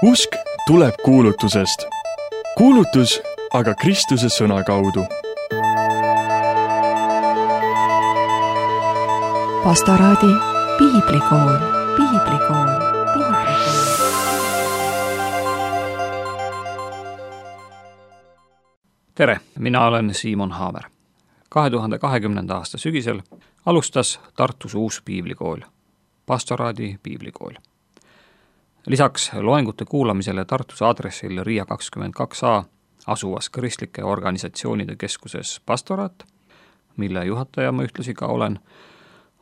Usk tuleb kuulutusest. Kuulutus aga Kristuse sõna kaudu. Pastoraadi piiblikool. Tere, mina olen Siimon Haamer. 2020. aasta sügisel alustas Tartus uus piiblikool, Pastoraadi piiblikool. Lisaks loengute kuulamisele Tartus aadressil Riia 22a asuvas kristlike organisatsioonide keskuses Pastoraat, mille juhataja ma ühtlasi ka olen,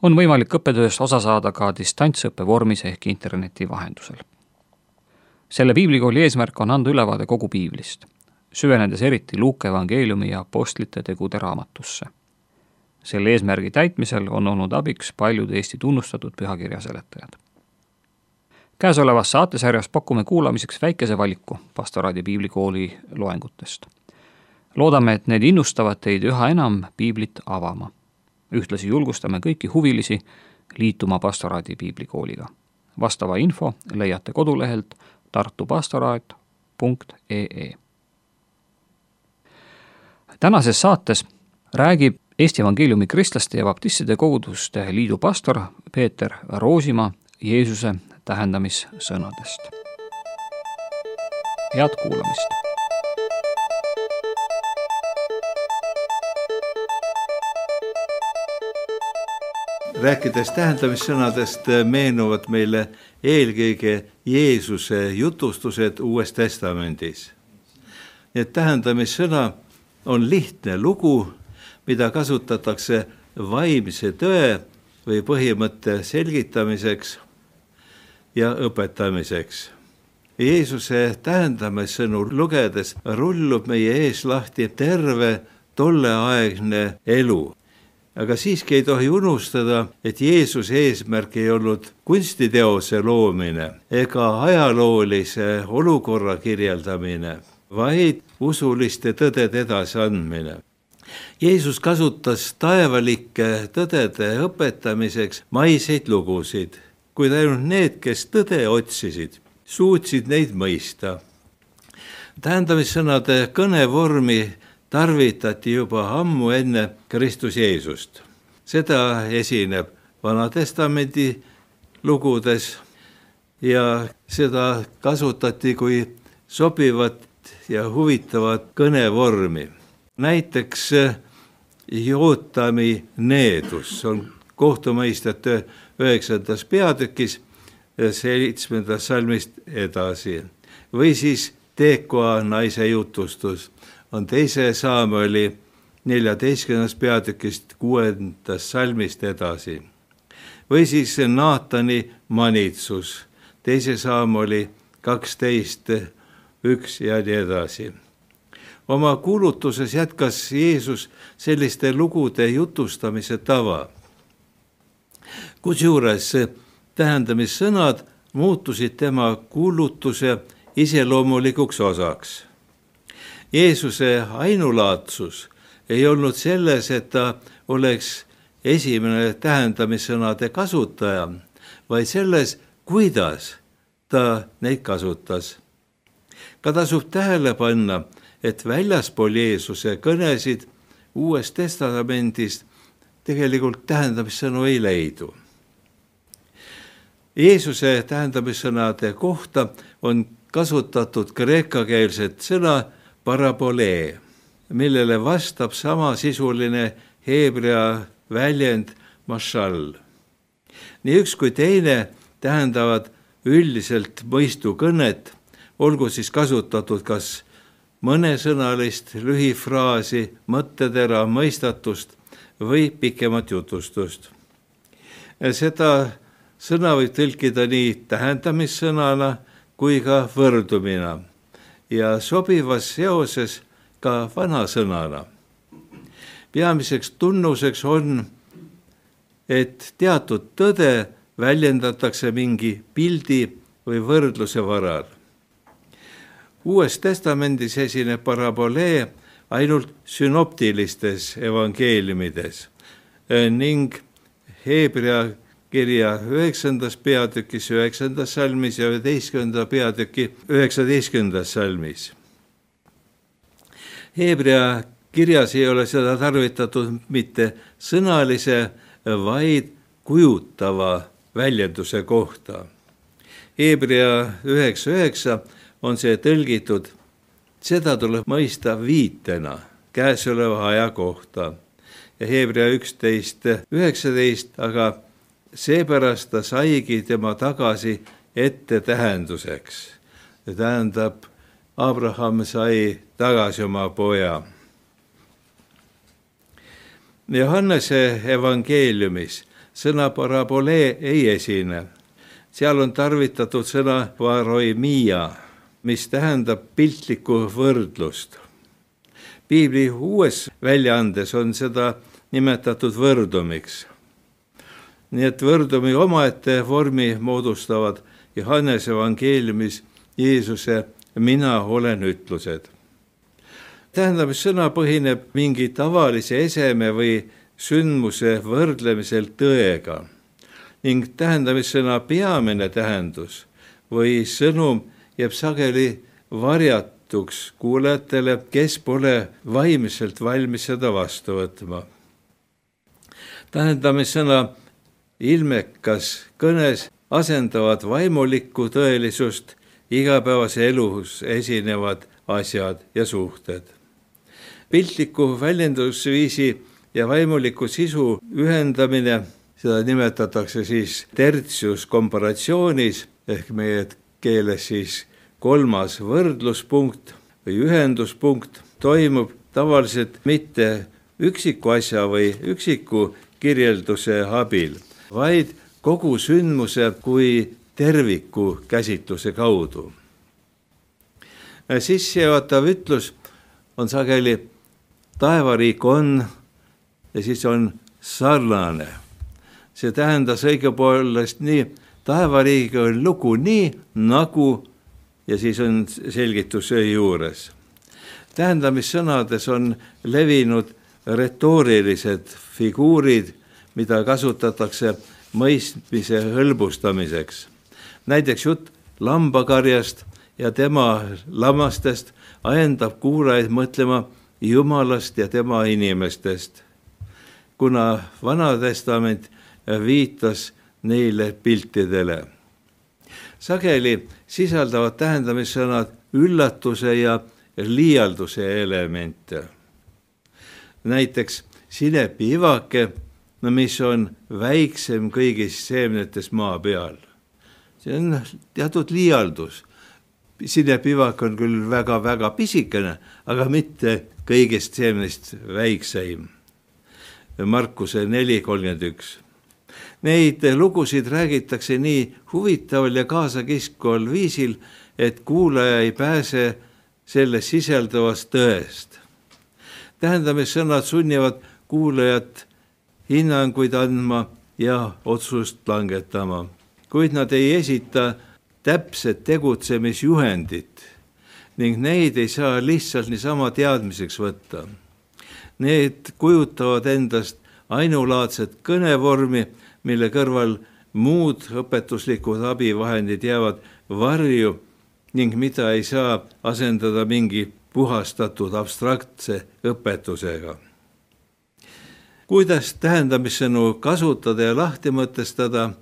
on võimalik õppetööst osa saada ka distantsõppe vormis ehk interneti vahendusel. Selle piiblikooli eesmärk on anda ülevaade kogu piiblist, süvenedes eriti Luuke evangeeliumi ja apostlite tegude raamatusse. Selle eesmärgi täitmisel on olnud abiks paljud Eesti tunnustatud pühakirja seletajad. Käesolevas saatesarjas pakume kuulamiseks väikese valiku Pastoraadi piiblikooli loengutest. Loodame, et need innustavad teid üha enam piiblit avama. Ühtlasi julgustame kõiki huvilisi liituma Pastoraadi piiblikooliga. Vastava info leiate kodulehelt tartupastoraat.ee. Tänases saates räägib Eesti evangeeliumi kristlaste ja baptistide koguduste liidu pastor Peeter Roosimaa Jeesuse tähendamissõnadest. Head kuulamist! Rääkides tähendamissõnadest meenuvad meile eelkõige Jeesuse jutustused Uues Testamendis. Need tähendamissõna on lihtne lugu, mida kasutatakse vaimse tõe või põhimõtte selgitamiseks ja õpetamiseks. Jeesuse tähendamissõnu lugedes rullub meie ees lahti terve tolleaegne elu. Aga siiski ei tohi unustada, et Jeesuse eesmärk ei olnud kunstiteose loomine ega ajaloolise olukorra kirjeldamine, vaid usuliste tõdede edasiandmine. Jeesus kasutas taevalike tõdede õpetamiseks maiseid lugusid, kuid ainult need, kes tõde otsisid, suutsid neid mõista. Tähendamissõnade kõnevormi tarvitati juba ammu enne Kristus Jeesust. Seda esineb Vana-testamendi lugudes ja seda kasutati kui sobivat ja huvitavat kõnevormi. Näiteks Jootami needus on kohtumõistjate 9. peatükis 7. salmist edasi. Või siis Tekoa naise jutustus on 2. Saamueli 14. peatükist 6. salmist edasi. Või siis Naatani manitsus 2. Saamueli 12. 1 ja nii edasi. Oma kuulutuses jätkas Jeesus selliste lugude jutustamise tava. Kusjuures tähendamissõnad muutusid tema kuulutuse iseloomulikuks osaks. Jeesuse ainulaadsus ei olnud selles, et ta oleks esimene tähendamissõnade kasutaja, vaid selles, kuidas ta neid kasutas. Ka tasub tähele panna, et väljaspool Jeesuse kõnesid Uuest Testamendist tegelikult tähendamissõnu ei leidu. Jeesuse tähendamissõnade kohta on kasutatud kreekakeelset sõna parabolee, millele vastab samasisuline heebrea väljend mashal. Nii üks kui teine tähendavad üldiselt mõistukõnet, olgu siis kasutatud kas mõnesõnalist lühifraasi, mõttetera mõistatust või pikemat jutustust. Seda sõna võib tõlkida nii tähendamissõnana kui ka võrdumina ja sobivas seoses ka vanasõnana. Peamiseks tunnuseks on, et teatud tõde väljendatakse mingi pildi või võrdluse varal. Uues Testamendis esineb parabolee ainult sünoptilistes evangeeliumides ning heebrea kirja 9. peatükis 9. salmis ja 11. peatüki 19. salmis. Heebrea kirjas ei ole seda tarvitatud mitte sõnalise, vaid kujutava väljenduse kohta. Heebrea 9.9 on see tõlgitud, seda tuleb mõista viitena käesoleva aja kohta. Ja Heebrea 11.19, aga seepärast ta saigi tema tagasi ette tähenduseks. See tähendab, Abraham sai tagasi oma poja. Johannese evangeeliumis sõna parabolee ei esine. Seal on tarvitatud sõna varoimia, mis tähendab piltlikku võrdlust. Piibli uues väljaandes on seda nimetatud võrdumiks. Nii et võrdumi omaette vormi moodustavad Johannese evangeeliumis Jeesuse mina olen ütlused. Tähendamissõna põhineb mingi tavalise eseme või sündmuse võrdlemisel tõega ning tähendamissõna peamine tähendus või sõnum jääb sageli varjatuks kuulajatele, kes pole vaimselt valmis seda vastu võtma. Tähendamissõna ilmekas kõnes asendavad vaimulikku tõelisust igapäevase elus esinevad asjad ja suhted. Piltliku väljendusviisi ja vaimuliku sisu ühendamine, seda nimetatakse siis tertius komparatsioonis ehk meie keeles siis kolmas võrdluspunkt või ühenduspunkt, toimub tavaliselt mitte üksiku asja või üksiku kirjelduse abil, vaid kogu sündmuse kui terviku käsitluse kaudu. Sissejuhatav ütlus on sageli taevariik on ja siis on sarnane. See tähendas õigupoolest nii, taevariigiga on lugu nii nagu ja siis on selgitus juures. Tähendamissõnades on levinud retoorilised figuurid, mida kasutatakse mõistmise hõlbustamiseks. Näiteks jutt lambakarjast ja tema lammastest ajendab kuulajaid mõtlema Jumalast ja tema inimestest, kuna Vana Testament viitas neile piltidele. Sageli sisaldavad tähendamissõnad üllatuse ja liialduse elemente. Näiteks sinepiivake, mis on väiksem kõigist seemnetes maa peal. See on teatud liialdus. Sinepiivak on küll väga-väga pisikene, aga mitte kõigist seemnest väikseim. Markuse 4.31. Neid lugusid räägitakse nii huvitaval ja kaasakiskval viisil, et kuulaja ei pääse selles sisalduvast tõest. Tähendamissõnad sunnivad kuulajat hinnanguid andma ja otsust langetama, kuid nad ei esita täpset tegutsemisjuhendit ning neid ei saa lihtsalt niisama teadmiseks võtta. Need kujutavad endast ainulaadset kõnevormi, mille kõrval muud õpetuslikud abivahendid jäävad varju ning mida ei saa asendada mingi puhastatud abstraktse õpetusega. Kuidas tähendamissõnu kasutada ja lahti mõtestada,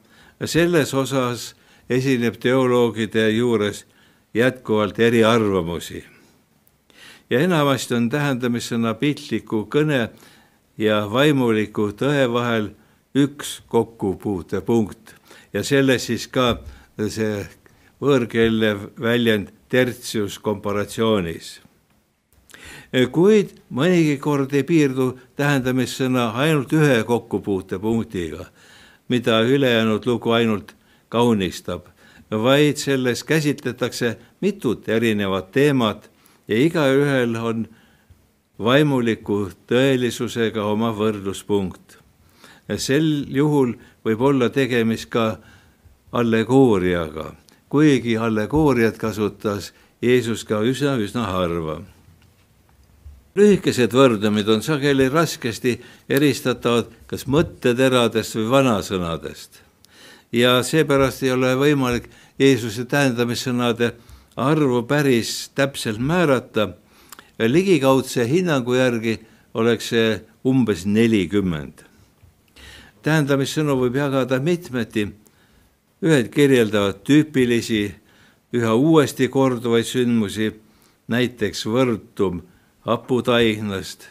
selles osas esineb teoloogide juures jätkuvalt eriarvamusi. Ja enamasti on tähendamissõna piltliku kõne ja vaimuliku tõe vahel üks kokkupuutepunkt ja selles siis ka see võõrkeelne väljend tertius komparatsioonis. Kuid mõnigi kord ei piirdu tähendamissõna ainult ühe kokkupuutepunktiga, mida ülejäänud lugu ainult kaunistab, vaid selles käsitletakse mitut erinevat teemat ja igaühel on vaimuliku tõelisusega oma võrdluspunkt. Sel juhul võib olla tegemist ka allegooriaga, kuigi allegooriat kasutas Jeesus ka üsna harva. Lühikesed võrdlemid on sageli raskesti eristatavad kas mõtteteradest või vanasõnadest. ja seepärast ei ole võimalik Jeesuse tähendamissõnade arvu päris täpselt määrata. Ligikaudse hinnangu järgi oleks see umbes 40. Tähendamissõnu võib jagada mitmeti. Ühed kirjeldavad tüüpilisi, üha uuesti korduvaid sündmusi, näiteks võrdum haputaignast.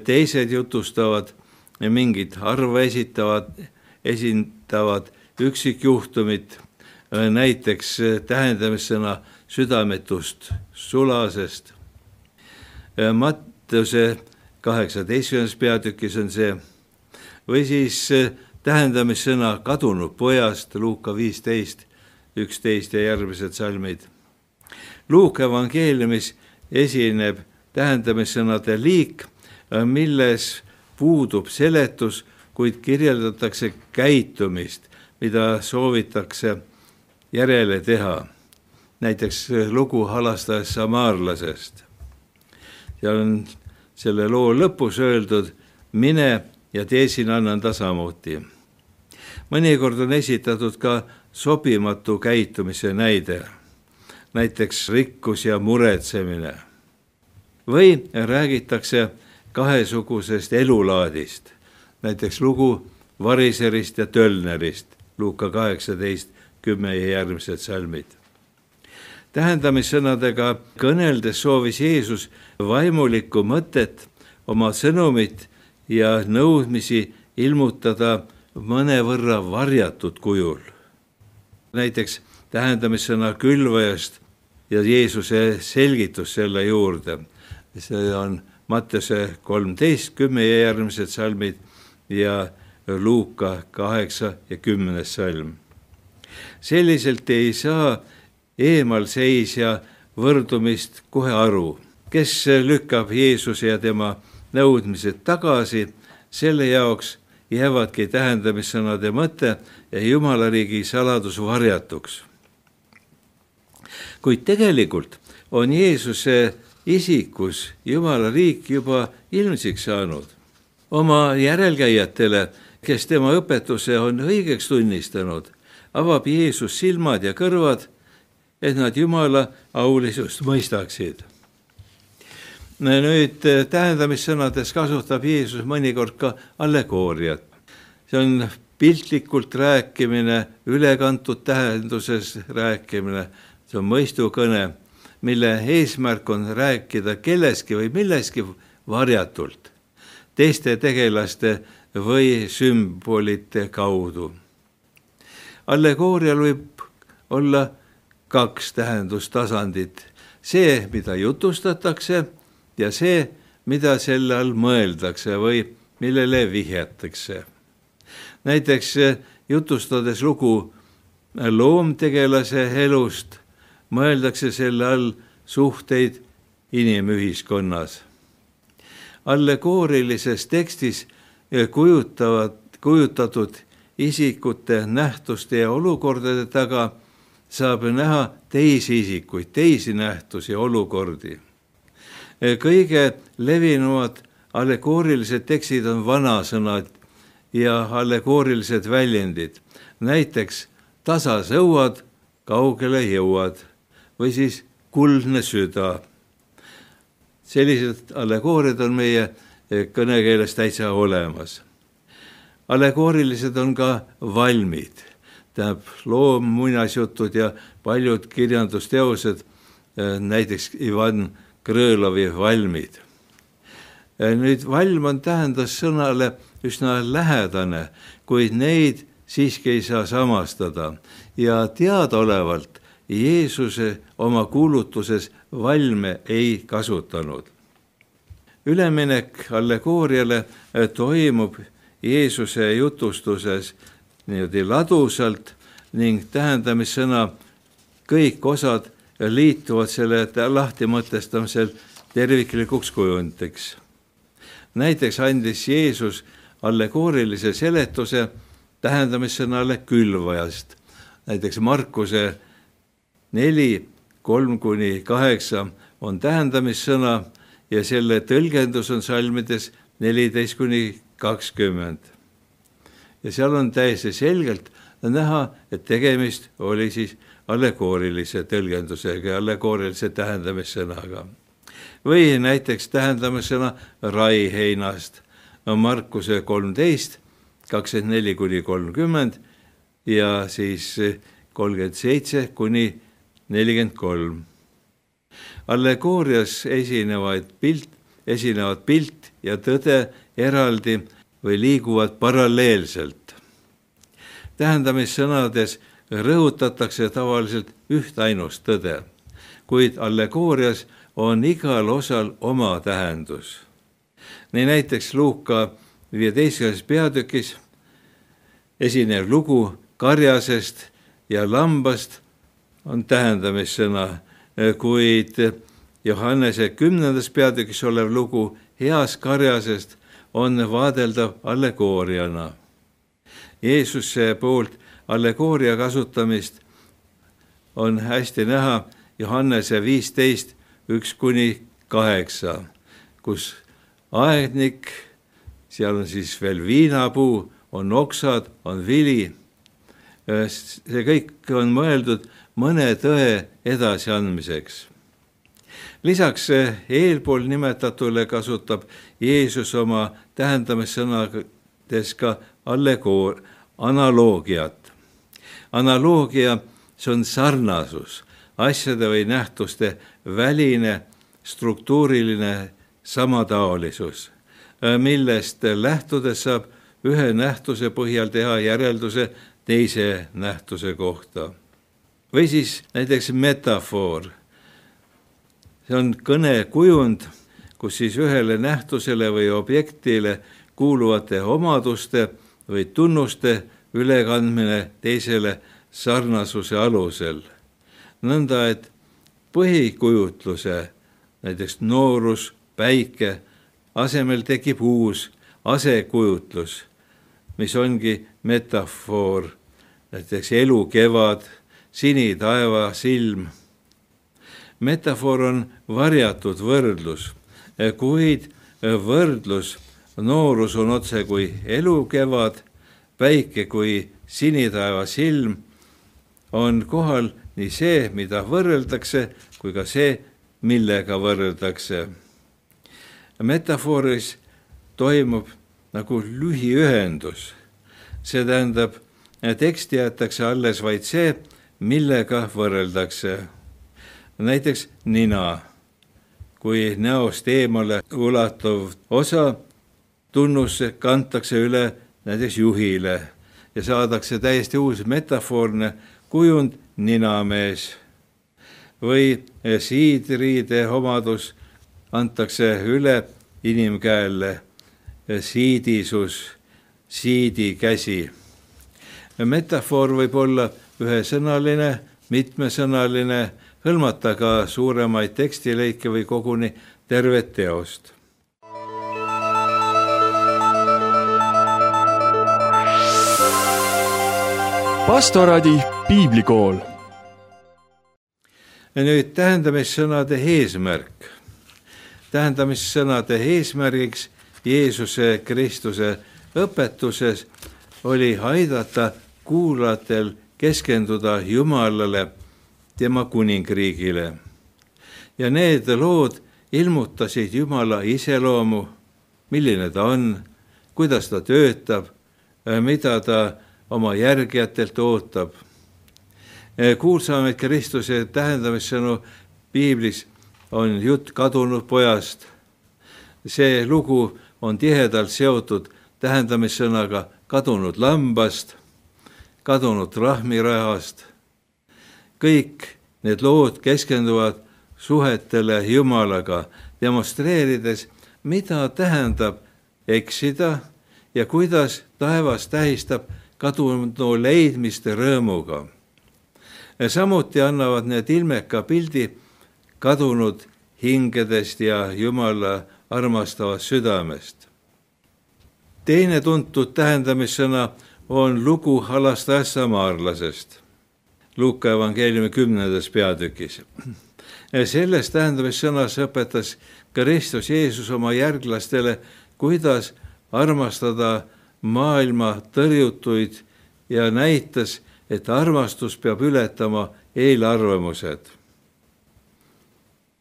Teised jutustavad mingit arva esindavad üksikjuhtumit, näiteks tähendamissõna südametust sulasest. Mattuse 18. peatükis on see, või siis tähendamissõna kadunud pojast, Luuka 15, 11 ja järgmised salmid. Luuka evangeeliumis esineb tähendamissõnade liik, milles puudub seletus, kuid kirjeldatakse käitumist, mida soovitakse järele teha. Näiteks lugu halastajast samaarlasest. Seal on selle loo lõpus öeldud, mine ja tee siin annan tasamuuti. Mõnikord on esitatud ka sobimatu käitumise näide, näiteks rikkus ja muretsemine. Või räägitakse kahesugusest elulaadist, näiteks lugu variserist ja tölnerist, Luuka 18, 10 ja järgmised salmid. Tähendamissõnadega kõneldes soovis Jeesus vaimulikku mõtet, oma sõnumit ja nõudmisi ilmutada mõnevõrra varjatud kujul. Näiteks tähendamissõna külvajast ja Jeesuse selgitus selle juurde. See on Mattuse 13, 10 ja järgmised salmid ja Luuka 8 ja 10 salm. Selliselt ei saa eemalseisja võrdumist kohe aru, kes lükkab Jeesuse ja tema nõudmised tagasi, selle jaoks jäävadki tähendamissõnade mõte ja Jumala riigi saladus varjatuks. Kuid tegelikult on Jeesuse isikus Jumala riik juba ilmsiks saanud. Oma järelkäijatele, kes tema õpetuse on õigeks tunnistanud, avab Jeesus silmad ja kõrvad, et nad Jumala aulisust mõistaksid. Nüüd tähendamissõnades kasutab Jeesus mõnikord ka allegooriat. See on piltlikult rääkimine, ülekantud tähenduses rääkimine, see on mõistukõne, mille eesmärk on rääkida kelleski või milleski varjatult, teiste tegelaste või sümbolite kaudu. Allegoorial võib olla 2 tähendustasandit, see, mida jutustatakse ja see, mida selle all mõeldakse või millele vihjatakse. Näiteks jutustades lugu loomtegelase elust, mõeldakse selle all suhteid inimühiskonnas. Allegoorilises tekstis kujutatud isikute, nähtuste ja olukordade taga saab näha teisi isikuid, teisi nähtusi ja olukordi. Kõige levinumad allegoorilised tekstid on vanasõnad ja allegoorilised väljendid. Näiteks tasasõuad, kaugele jõuad või siis kuldne süda. Sellised allegooriad on meie kõnekeeles täitsa olemas. Allegoorilised on ka valmid. Tähendab, loom, muinasjutud ja paljud kirjandusteosed, näiteks Ivan Krõlovi valmid. Nüüd valm on tähendussõnale üsna lähedane, kuid neid siiski ei saa samastada ja teadaolevalt Jeesuse oma kuulutuses valme ei kasutanud. Üleminek allegooriale toimub Jeesuse jutustuses niimoodi ladusalt ning tähendamissõna kõik osad liituvad selle lahtimõtestamisel terviklikuks kujundiks. Näiteks andis Jeesus allegoorilise seletuse tähendamissõnale külvajast. Näiteks Markuse 4, 3-8 on tähendamissõna ja selle tõlgendus on salmides 14-20. Ja seal on täiesti selgelt näha, et tegemist oli siis allegoorilise tõlgendusega ja allegoorilise tähendamissõnaga. Või näiteks tähendamissõna raiheinast, Markuse 13, 24-30 ja siis 37-43. Allegoorias esinevad pilt ja tõde eraldi või liiguvad paralleelselt. Tähendamissõnades rõhutatakse tavaliselt ühtainust tõde, kuid allegoorias on igal osal oma tähendus. Nii näiteks Luuka 15. peatükis esinev lugu karjasest ja lambast on tähendamissõna, kuid Johannese 10. peatükis olev lugu heast karjasest on vaadeldav allegooriana. Jeesuse poolt allegooria kasutamist on hästi näha Johannese 15, 1-8, kus aednik, seal on siis veel viinapuu, on oksad, on vili. See kõik on mõeldud mõne tõe edasiandmiseks. Lisaks eelpool nimetatule kasutab Jeesus oma tähendamissõnades ka analoogiat. Analoogia, see on sarnasus, asjade või nähtuste väline, struktuuriline samataolisus, millest lähtudes saab ühe nähtuse põhjal teha järelduse teise nähtuse kohta. Või siis näiteks metafoor. See on kõnekujund, kus siis ühele nähtusele või objektile kuuluvate omaduste või tunnuste ülekandmine teisele sarnasuse alusel. Nõnda, et põhikujutluse, näiteks noorus, päike, asemel tekib uus asekujutlus, mis ongi metafoor, näiteks elu kevad, sinitaeva silm. Metafoor on varjatud võrdlus, kuid võrdlus noorus on otse kui elu kevad, päike kui sinitaeva silm, on kohal nii see, mida võrreldakse, kui ka see, millega võrreldakse. Metafooris toimub nagu lühiühendus. See tähendab, teksti jäetakse alles vaid see, millega võrreldakse. Näiteks nina, kui näost eemale ulatuv osa tunnus kantakse üle näiteks juhile ja saadakse täiesti uus metafoorne kujund ninamees. Või siidriide omadus antakse üle inimkäelle, siidisus, siidikäsi. Metafoor võib olla ühesõnaline, mitmesõnaline, hõlmata ka suuremaid tekstilõike või koguni tervet teost. Pastoraadi piiblikool. Nüüd tähendamissõnade eesmärk. Tähendamissõnade eesmärgiks Jeesuse Kristuse õpetuses oli aidata kuulajatel keskenduda Jumalale, tema kuningriigile. Ja need lood ilmutasid Jumala iseloomu, milline ta on, kuidas ta töötab, mida ta oma järgijatelt ootab. Kuulsamaid Kristuse tähendamissõnu piiblis on jutt kadunud pojast. See lugu on tihedalt seotud tähendamissõnaga kadunud lambast, kadunud rahmirahast. Kõik need lood keskenduvad suhetele Jumalaga, demonstreerides, mida tähendab eksida ja kuidas taevas tähistab kadunu leidmist rõõmuga. Samuti annavad need ilmeka pildi kadunud hingedest ja Jumala armastavast südamest. Teine tuntud tähendamissõna on lugu halastajast samaarlasest. Luuka evangeeliumi 10. peatükis. Selles tähendamissõnas õpetas Kristus Jeesus oma järglastele, kuidas armastada maailma tõrjutuid ja näitas, et armastus peab ületama eelarvamused.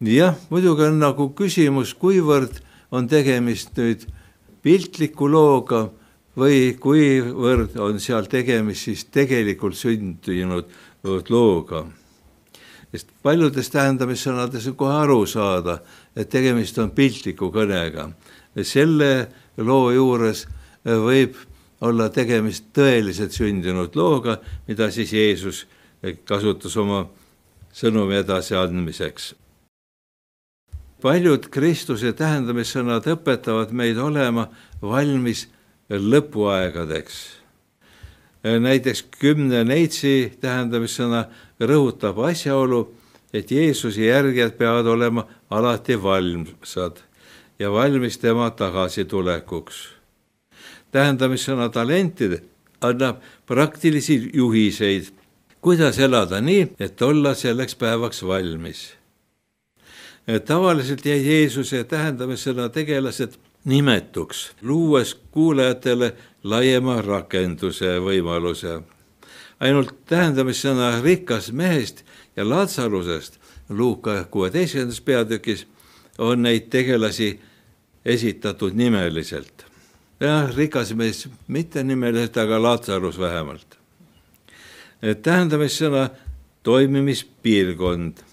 Jah, muidugi on nagu küsimus, kuivõrd on tegemist nüüd piltliku looga või kuivõrd on seal tegemist siis tegelikult sündinud looga. Sest paljudes tähendamissõnades on kohe aru saada, et tegemist on piltliku kõnega. Selle loo juures võib olla tegemist tõeliselt sündinud looga, mida siis Jeesus kasutas oma sõnumi edasiandmiseks. Paljud Kristuse tähendamissõnad õpetavad meid olema valmis lõpuaegadeks. Näiteks 10 neitsi tähendamissõna rõhutab asjaolu, et Jeesuse järgijad peavad olema alati valmsad ja valmis tema tagasitulekuks. Tähendamissõna talentide annab praktilisi juhiseid, kuidas elada nii, et olla selleks päevaks valmis. Tavaliselt jäi Jeesuse tähendamissõna tegelased nimetuks, luues kuulajatele laiema rakenduse võimaluse. Ainult tähendamissõna rikas mehest ja Lazarusest Luuka 16. peatükis on neid tegelasi esitatud nimeliselt. Ja rikas mees mitte nimeliselt, aga Lazarus vähemalt. Tähendamissõna toimimispiirkond.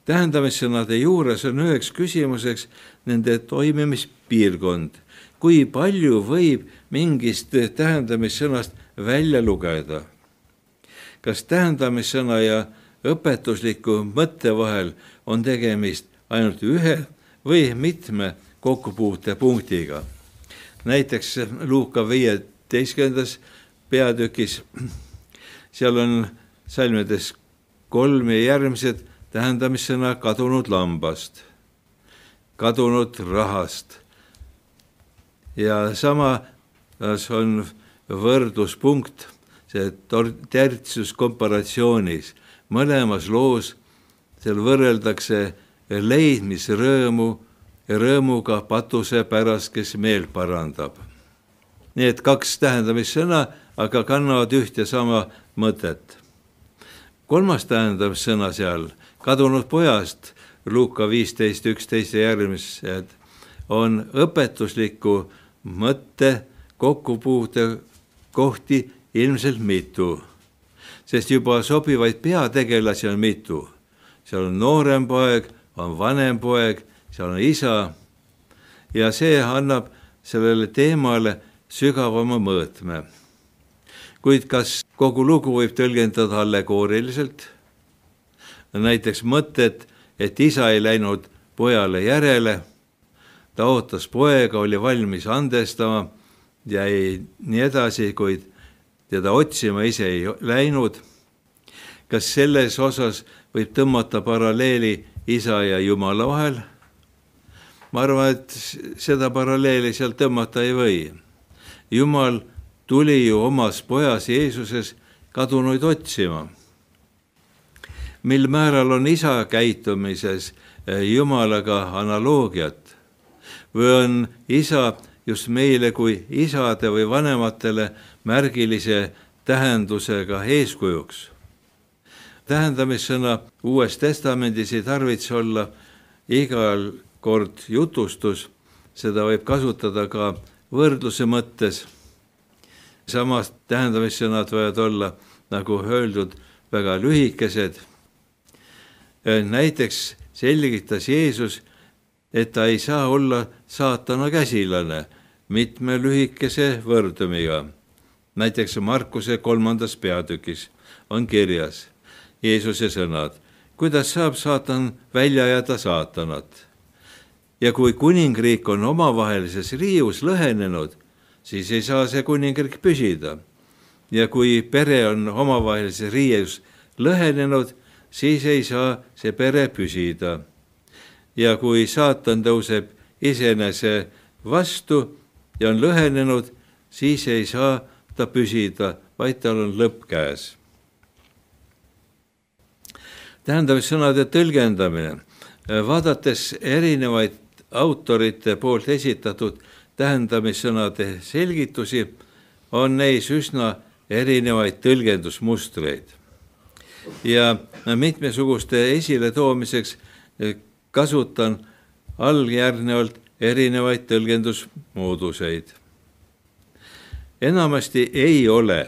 Tähendamissõnade juures on üheks küsimuseks nende toimimispiirkond. Kui palju võib mingist tähendamissõnast välja lugeda? Kas tähendamissõna ja õpetusliku mõtte vahel on tegemist ainult ühe või mitme kokkupuute punktiga? Näiteks Luuka 15. peatükis, seal on salmides 3 ja järgmised tähendamissõna kadunud lambast, kadunud rahast. Ja samas on võrdluspunkt, see tertius komparatsioonis. Mõlemas loos seal võrreldakse leidmisrõõmu ja rõõmuga patuse pärast, kes meel parandab. Need 2 tähendamissõna aga kannavad üht ja sama mõtet. 3. tähendamissõna seal, kadunud pojast, Luuka 15, 11 ja järgmised, on õpetusliku mõtte kokkupuute kohti ilmselt mitu, sest juba sobivaid peategelasi on mitu. Seal on noorem poeg, on vanem poeg, seal on isa ja see annab sellele teemale sügavama mõõtme. Kuid kas kogu lugu võib tõlgendada allegooriliselt? Näiteks mõtet, et isa ei läinud pojale järele, ta ootas poega, oli valmis andestama ja nii edasi, kuid teda otsima ise ei läinud. Kas selles osas võib tõmmata paralleeli isa ja Jumala vahel? Ma arvan, et seda paralleeli seal tõmmata ei või. Jumal tuli ju omas pojas Jeesuses kadunuid otsima. Mil määral on isa käitumises Jumalaga analoogiat? Või on isa just meile kui isade või vanematele märgilise tähendusega eeskujuks? Tähendamissõna Uues Testamendis ei tarvitse olla igal kord jutustus, seda võib kasutada ka võrdluse mõttes. Samas tähendamissõnad võivad olla, nagu öeldud, väga lühikesed. Näiteks selgitas Jeesus, et ta ei saa olla saatana käsilane mitme lühikese võrdumiga. Näiteks Markuse 3. peatükis on kirjas Jeesuse sõnad, kuidas saab saatan välja ajada saatanat. Ja kui kuningriik on omavahelises riius lõhenenud, siis ei saa see kuningriik püsida. Ja kui pere on omavahelises riius lõhenenud, siis ei saa see pere püsida. Ja kui saatan tõuseb iseenese vastu ja on lõhenenud, siis ei saa ta püsida, vaid tal on lõpp käes. Tähendamissõnade tõlgendamine. Vaadates erinevaid autorite poolt esitatud tähendamissõnade selgitusi, on neis üsna erinevaid tõlgendusmustreid. Ja mitmesuguste esiletoomiseks kasutan alljärgnevalt erinevaid tõlgendusmooduseid. Enamasti ei ole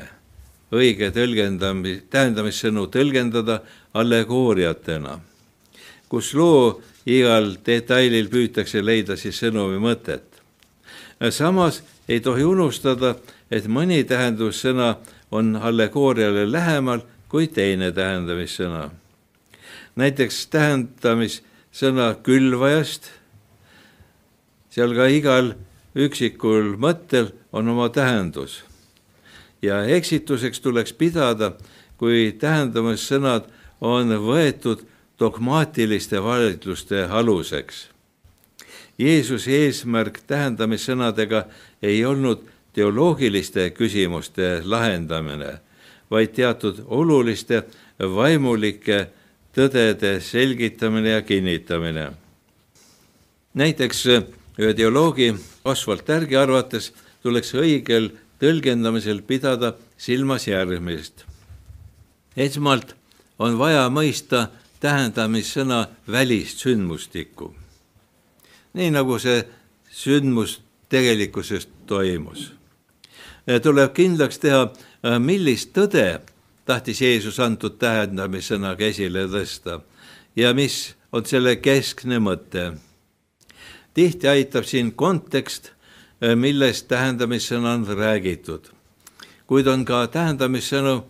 õige tähendamissõnu tõlgendada allegooriatena, kus loo igal detailil püütakse leida siis sõnumi mõtet. Samas ei tohi unustada, et mõni tähendussõna on allegooriale lähemal kui teine tähendamissõna. Näiteks tähendamissõna külvajast, seal ka igal üksikul mõttel on oma tähendus. Ja eksituseks tuleks pidada, kui tähendamissõnad on võetud dogmaatiliste vaidluste aluseks. Jeesuse eesmärk tähendamissõnadega ei olnud teoloogiliste küsimuste lahendamine, vaid teatud oluliste vaimulike tõdede selgitamine ja kinnitamine. Näiteks ühe teoloogi Oswald Tärgi arvates tuleks õigel tõlgendamisel pidada silmas järgmist. Esmalt on vaja mõista tähendamissõna välist sündmustikku, nii nagu see sündmus tegelikkuses toimus. Tuleb kindlaks teha, millist tõde tahtis Jeesus antud tähendamissõnaga esile tõsta ja mis on selle keskne mõte. Tihti aitab siin kontekst, millest tähendamissõna on räägitud, kuid on ka tähendamissõnu,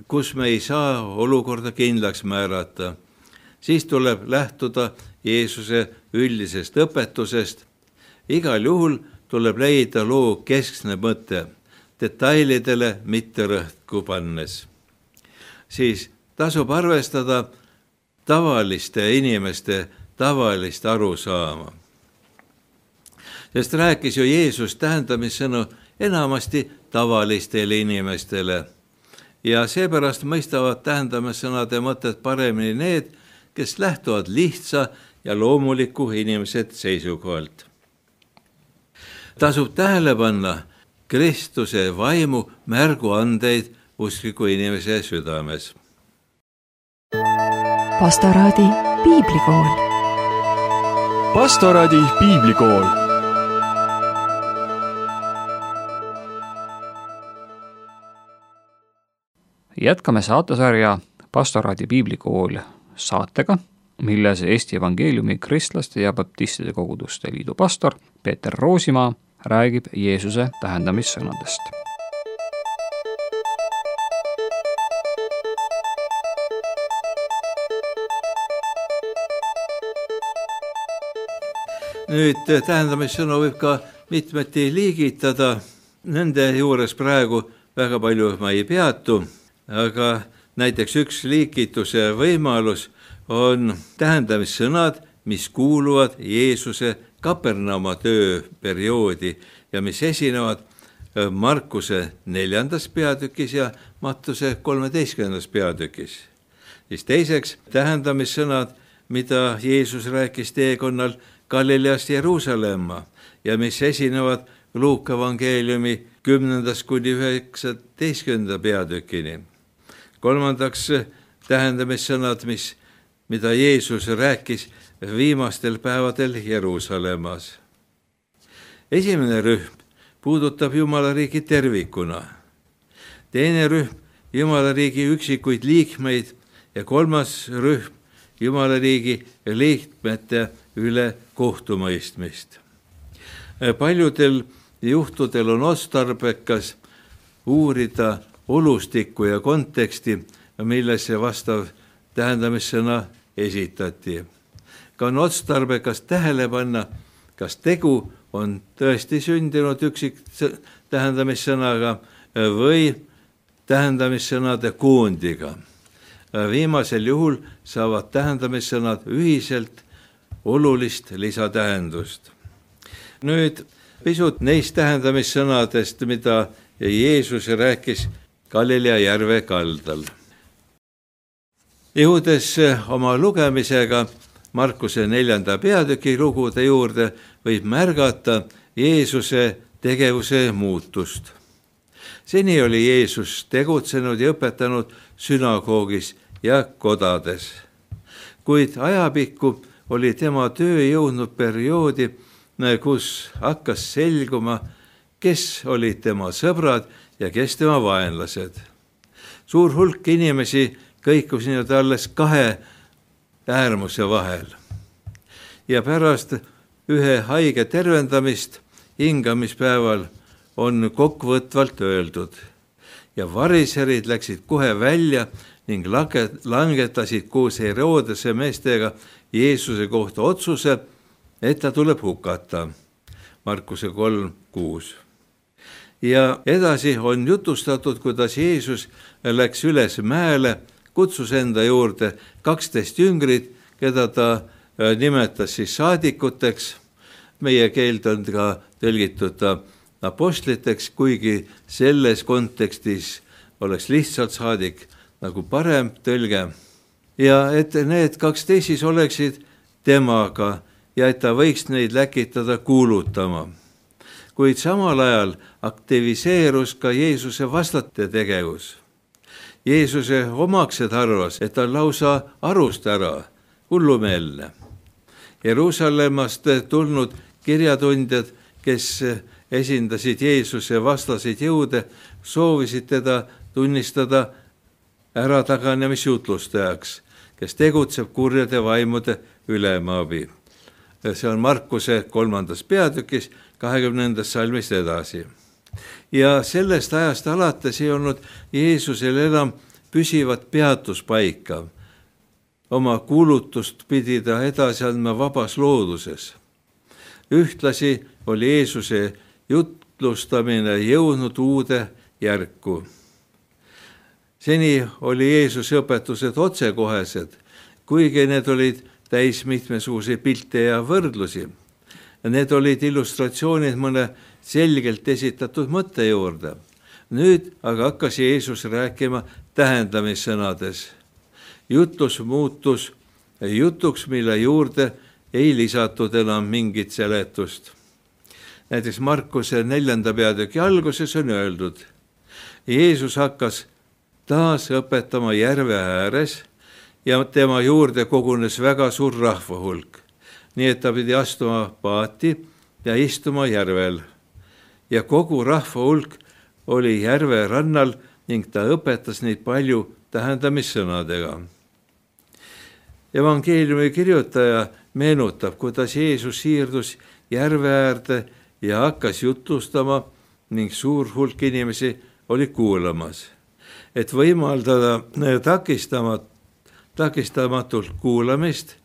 kus me ei saa olukorda kindlaks määrata. Siis tuleb lähtuda Jeesuse üldisest õpetusest. Igal juhul tuleb leida loo keskne mõte, detailidele mitte rõhku pannes. Siis tasub arvestada tavaliste inimeste tavalist arusaama. Sest rääkis ju Jeesus tähendamissõnu enamasti tavalistele inimestele ja seepärast mõistavad tähendamissõnade mõtet paremini need, kes lähtuvad lihtsa ja loomuliku inimesed seisukohalt. Tasub tähele panna Kristuse vaimu märguandeid uskliku inimese südames. Pastoraadi piiblikool. Pastoraadi piiblikool. Jätkame saatesarja Pastoraadi piiblikool saatega, milles Eesti Evangeeliumi Kristlaste ja Baptistide Koguduste Liidu pastor Peeter Roosimaa räägib Jeesuse tähendamissõnadest. Nüüd tähendamissõnu võib ka mitmeti liigitada, nende juures praegu väga palju ma ei peatu, aga näiteks üks liigituse võimalus on tähendamissõnad, mis kuuluvad Jeesuse Kapernauma tööperioodi ja mis esinevad Markuse 4. peatükis ja Mattuse 13. peatükis. Siis teiseks tähendamissõnad, mida Jeesus rääkis teekonnal Galileast Jeruusalemma ja mis esinevad Luuka evangeeliumi 10. kuni 19. peatükini. Kolmandaks tähendamissõnad, mida Jeesus rääkis viimastel päevadel Jeruusalemmas. Esimene rühm puudutab Jumala riigi tervikuna. Teine rühm Jumala riigi üksikuid liikmeid ja kolmas rühm Jumala riigi liikmete üle kohtumõistmist. Paljudel juhtudel on otstarbekas uurida olustikku ja konteksti, millesse vastav tähendamissõna esitati. Ka on otstarbekas tähele panna, kas tegu on tõesti sündinud üksik tähendamissõnaga või tähendamissõnade koondiga. Viimasel juhul saavad tähendamissõnad ühiselt olulist lisatähendust. Nüüd pisut neist tähendamissõnadest, mida Jeesus rääkis Galilea järve kaldal. Jõudes oma lugemisega Markuse 4. peatüki lugude juurde, võib märgata Jeesuse tegevuse muutust. Seni oli Jeesus tegutsenud ja õpetanud sünagoogis ja kodades. Kuid ajapikku oli tema töö jõudnud perioodi, kus hakkas selguma, kes olid tema sõbrad ja kes tema vaenlased. Suur hulk inimesi kõikus nüüd alles kahe äärmuse vahel. Ja pärast ühe haige tervendamist hingamispäeval on kokkuvõtvalt öeldud. Ja variserid läksid kohe välja ning langetasid koos Herodese meestega Jeesuse kohta otsuse, et ta tuleb hukata. Markuse 3:6. Ja edasi on jutustatud, kuidas Jeesus läks üles mäele, kutsus enda juurde 12 jüngrit, keda ta nimetas siis saadikuteks. Meie keelt on ka tõlgitud apostliteks, kuigi selles kontekstis oleks lihtsalt saadik nagu parem tõlge. Ja et need 12 siis oleksid temaga ja et ta võiks neid läkitada kuulutama. Kuid samal ajal aktiviseerus ka Jeesuse vastate tegevus. Jeesuse omaksed arvas, et ta lausa arust ära, hullumeelne. Jeruusalemmast tulnud kirjatundjad, kes esindasid Jeesuse vastaseid jõude, soovisid teda tunnistada ärataganemisjutlustajaks, kes tegutseb kurjade vaimude ülemaabi. See on Markuse 3. peatükis 20. salmist edasi. Ja sellest ajast alates ei olnud Jeesusel enam püsivat peatuspaika. Oma kuulutust pidi ta edasi andma vabas looduses. Ühtlasi oli Jeesuse jutlustamine jõudnud uude järku. Seni oli Jeesuse õpetused otsekohesed, kuigi need olid täis mitmesuguseid pilte ja võrdlusi. Need olid illustratsioonid mõne selgelt esitatud mõtte juurde. Nüüd aga hakkas Jeesus rääkima tähendamissõnades. Jutlus muutus jutuks, mille juurde ei lisatud enam mingit seletust. Näiteks Markuse 4. peatüki alguses on öeldud, Jeesus hakkas taas õpetama järve ääres ja tema juurde kogunes väga suur rahvahulk, nii et ta pidi astuma paati ja istuma järvel. Ja kogu rahvahulk oli järve rannal ning ta õpetas neid palju tähendamissõnadega. Evangeeliumi kirjutaja meenutab, kuidas Jeesus siirdus järve äärde ja hakkas jutlustama ning suur hulk inimesi oli kuulamas. Et võimaldada takistamatult kuulamist,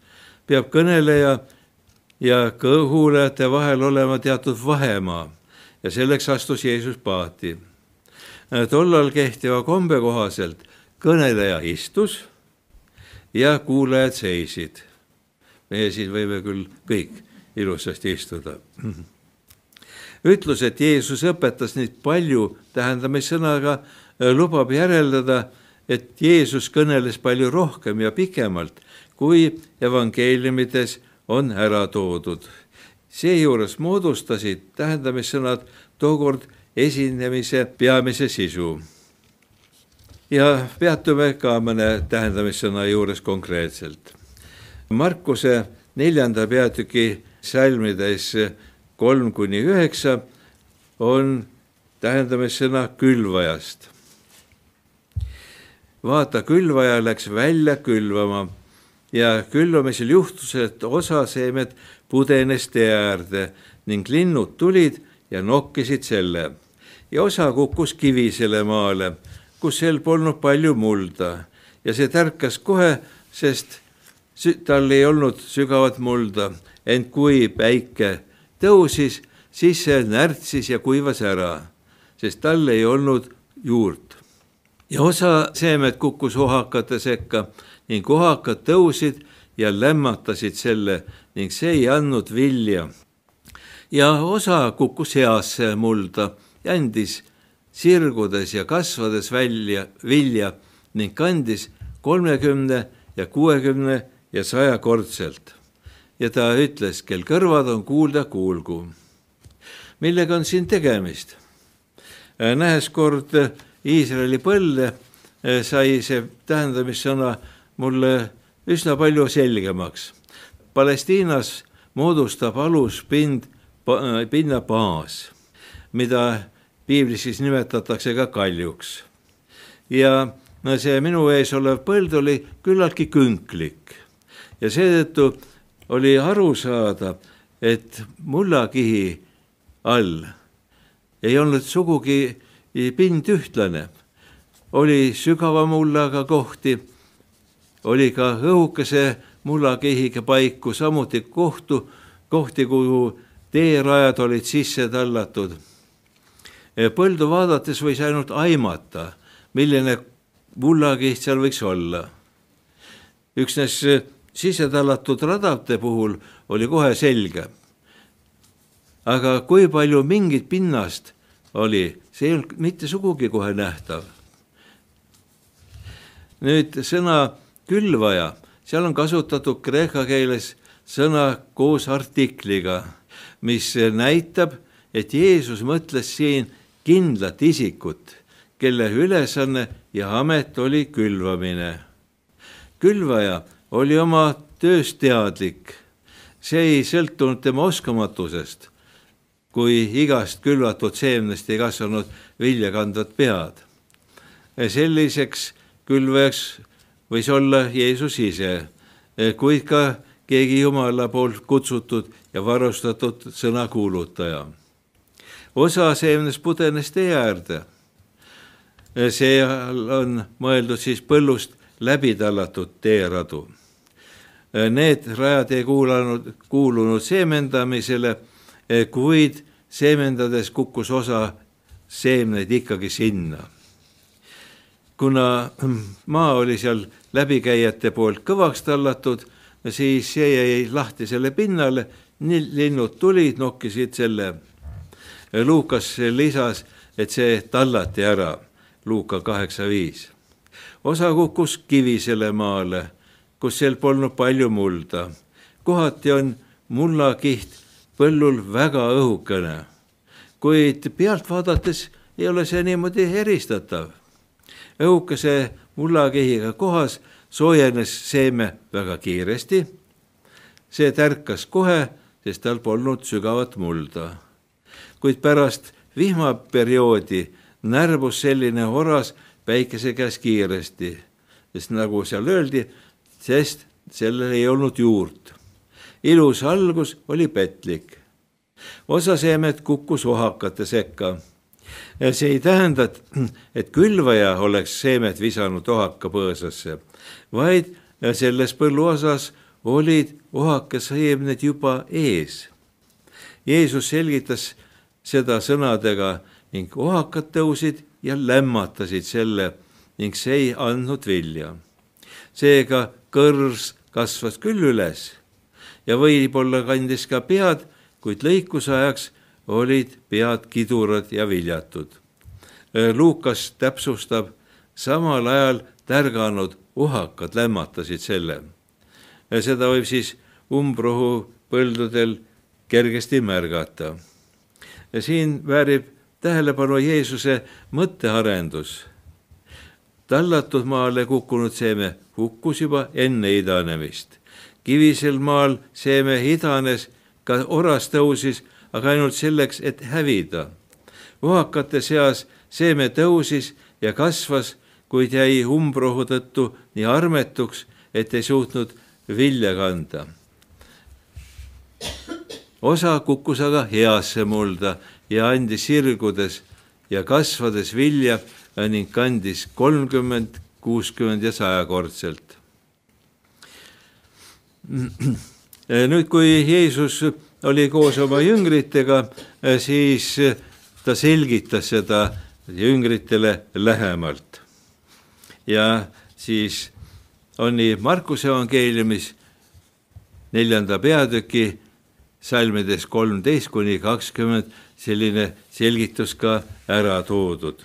peab kõneleja ja kuulajate vahel olema teatud vahemaa ja selleks astus Jeesus paati. Tollal kehtiva kombe kohaselt kõneleja istus ja kuulajad seisid. Meie siin võime küll kõik ilusasti istuda. Ütlus, et Jeesus õpetas neid palju tähendamissõnaga, lubab järeldada, et Jeesus kõneles palju rohkem ja pikemalt, kui evangeeliumides on ära toodud. Seejuures moodustasid tähendamissõnad tookord esinemise peamise sisu. Ja peatume ka mõne tähendamissõna juures konkreetselt. Markuse 4. peatüki salmides 3-9 on tähendamissõna külvajast. Vaata, külvaja läks välja külvama ja külvamisel juhtus, et osa seemed pudenes tee äärde ning linnud tulid ja nokkisid selle. Ja osa kukkus kivisele maale, kus sel polnud palju mulda ja see tärkas kohe, sest tal ei olnud sügavat mulda, ent kui päike tõusis, siis see närtsis ja kuivas ära, sest tal ei olnud juurt. Ja osa seemed kukkus ohakate sekka ning ohakad tõusid ja lämmatasid selle ning see ei andnud vilja. Ja osa kukkus heasse mulda ja andis sirgudes ja kasvades vilja ning kandis 30 ja 60 ja 100 kordselt. Ja ta ütles, kel kõrvad on kuulda, kuulgu. Millega on siin tegemist? Nähes kord Iisraeli põlde, sai see tähendamissõna mulle üsna palju selgemaks. Palestiinas moodustab aluspinna baas, mida piiblis siis nimetatakse ka kaljuks. Ja see minu ees olev põld oli küllaltki künklik ja seetõttu oli aru saada, et mullakihi all ei olnud sugugi pind ühtlane. Oli sügava mullaga kohti, oli ka õhukese mullakihiga paiku, samuti kohti, kuhu teerajad olid sisse tallatud. Põldu vaadates võis ainult aimata, milline mullakiht seal võiks olla. Üksnes sisse tallatud radade puhul oli kohe selge. Aga kui palju mingit pinnast oli, see ei olnud mitte sugugi kohe nähtav. Nüüd sõna külvaja, seal on kasutatud kreeka keeles sõna koos artikliga, mis näitab, et Jeesus mõtles siin kindlat isikut, kelle ülesanne ja amet oli külvamine. Külvaja oli oma tööst teadlik. See ei sõltunud tema oskamatusest, kui igast külvatud seemnest ei kasvanud viljakandvat pead. Selliseks külvajaks võis olla Jeesus ise, kuid ka keegi Jumala poolt kutsutud ja varustatud sõnakuulutaja. Osa seemnest pudenes tee äärde. See on mõeldud siis põllust läbi tallatud teeradu. Need rajad ei kuulunud seemendamisele, kuid seemendades kukkus osa seemneid ikkagi sinna. Kuna maa oli seal läbikäijate poolt kõvaks tallatud, siis see jäi lahti selle pinnale, linnud tulid, nokkisid selle. Luukas lisas, et see tallati ära, Luuka 8.5. Osa kukkus kivisele maale, kus seal polnud palju mulda. Kohati on mullakiht põllul väga õhukene, kuid pealt vaadates ei ole see niimoodi eristatav. Õhukese mullakihiga kohas soojenes seeme väga kiiresti. See tärkas kohe, sest tal polnud sügavat mulda. Kuid pärast vihmaperioodi närbus selline oras päikese käes kiiresti, sest nagu seal öeldi, sest sellel ei olnud juurt. Ilus algus oli petlik. Osa seemed kukkus ohakate sekka. See ei tähenda, et külvaja oleks seemet visanud ohaka põõsasse, vaid selles põlluosas olid ohakaseemned juba ees. Jeesus selgitas seda sõnadega ning ohakad tõusid ja lämmatasid selle ning see ei andnud vilja. Seega kõrs kasvas küll üles ja võib-olla kandis ka pead, kuid lõikusajaks olid pead kidurad ja viljatud. Luukas täpsustab, samal ajal tärganud ohakad lämmatasid selle. Seda võib siis umbrohu põldudel kergesti märgata. Siin väärib tähelepanu Jeesuse mõttearendus. Tallatud maale kukkunud seeme hukkus juba enne idanemist. Kivisel maal seeme idanes, ka oras tõusis, aga ainult selleks, et hävida. Ohakate seas seeme tõusis ja kasvas, kuid jäi umbrohu tõttu nii armetuks, et ei suutnud vilja kanda. Osa kukkus aga heasse mulda ja andis sirgudes ja kasvades vilja ning kandis 30, 60 ja 100-kordselt. Nüüd, kui Jeesus oli koos oma jüngritega, siis ta selgitas seda jüngritele lähemalt. Ja siis on nii Markuse evangeeliumis 4. peatüki salmides 13-20 selline selgitus ka ära toodud.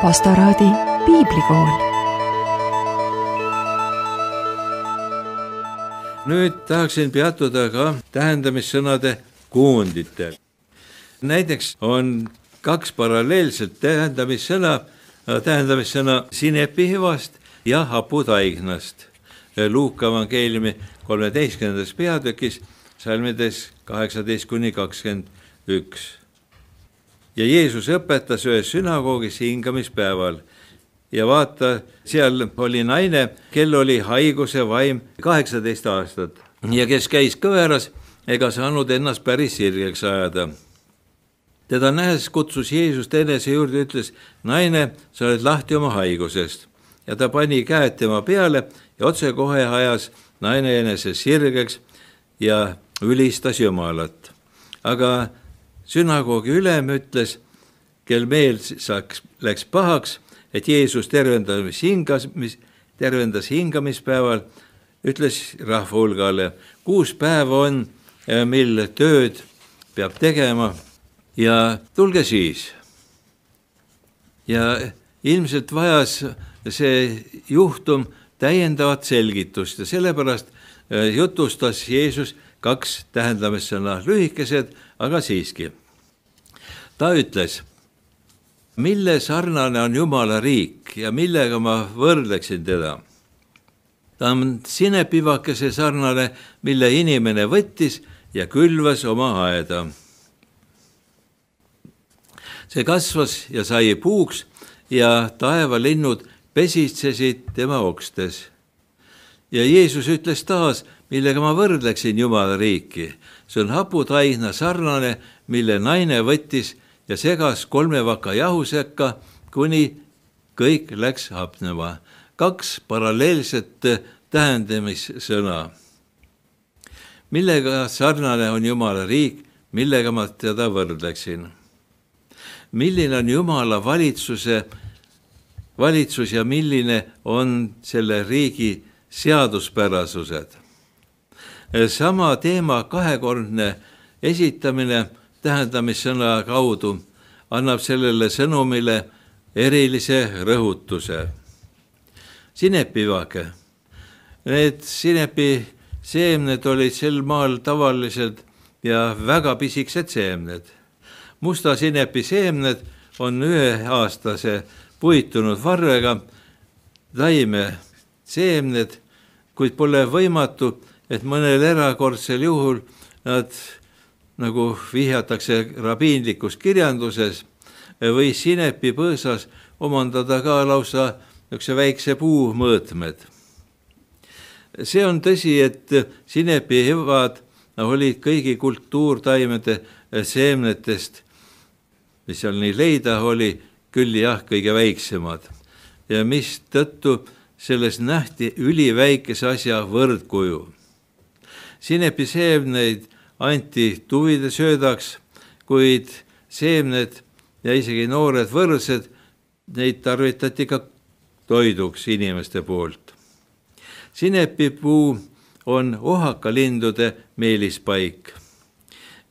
Pastoraadi piiblikool. Nüüd tahaksin peatuda ka tähendamissõnade koonditel. Näiteks on kaks paralleelset tähendamissõna sinepihvast ja haputaignast. Luuka evangeeliumi 13. peatükis salmides 18-21. Ja Jeesus õpetas ühes sünagoogis hingamispäeval ja vaata, seal oli naine, kel oli haiguse vaim 18 aastat ja kes käis kõveras ega saanud ennast päris sirgeks ajada. Teda nähes kutsus Jeesus enese juurde, ütles, naine, sa oled lahti oma haigusest. Ja ta pani käed tema peale ja otsekohe ajas naine enese sirgeks ja ülistas Jumalat. Aga sünagoogi ülem ütles, kel meel läks pahaks, et Jeesus tervendas hingamispäeval, ütles rahva hulgale, 6 päeva on, mil tööd peab tegema ja tulge siis. Ja ilmselt vajas see juhtum täiendavat selgitust ja sellepärast jutustas Jeesus 2 tähendamissõna, lühikesed, aga siiski. Ta ütles, mille sarnane on Jumala riik ja millega ma võrdleksin teda. Ta on sinepivakese sarnane, mille inimene võttis ja külvas oma aeda. See kasvas ja sai puuks ja taevalinnud pesitsesid tema okstes. Ja Jeesus ütles taas, millega ma võrdleksin Jumala riiki. See on haputaigna sarnane, mille naine võttis ja segas 3 vaka jahu sekka, kuni kõik läks hapnema. 2 paralleelset tähendamissõna. Millega sarnane on Jumala riik, millega ma teda võrdleksin? Milline on Jumala valitsus ja milline on selle riigi seaduspärasused? Sama teema 2-kordne esitamine tähendamissõna kaudu annab sellele sõnumile erilise rõhutuse. Sinepivake. Need sinepi seemned olid sel maal tavalised ja väga pisikesed seemned. Musta sinepi seemned on 1-aastase puitunud varrega taime seemned, kuid pole võimatu, et mõnel erakordsel juhul nad, nagu vihjatakse rabiinlikus kirjanduses, või sinepi põõsas omandada ka lausa väikse puu mõõtmed. See on tõsi, et sinepi hüvad olid kõigi kultuurtaimede seemnetest, mis seal nii leida oli, küll jah, kõige väiksemad. Ja mis tõttu selles nähti üliväikese asja võrdkuju. Sinepi seemneid anti tuvide söödaks, kuid seemned ja isegi noored võrsed, neid tarvitati ka toiduks inimeste poolt. Sinepipuu on ohakalindude meelispaik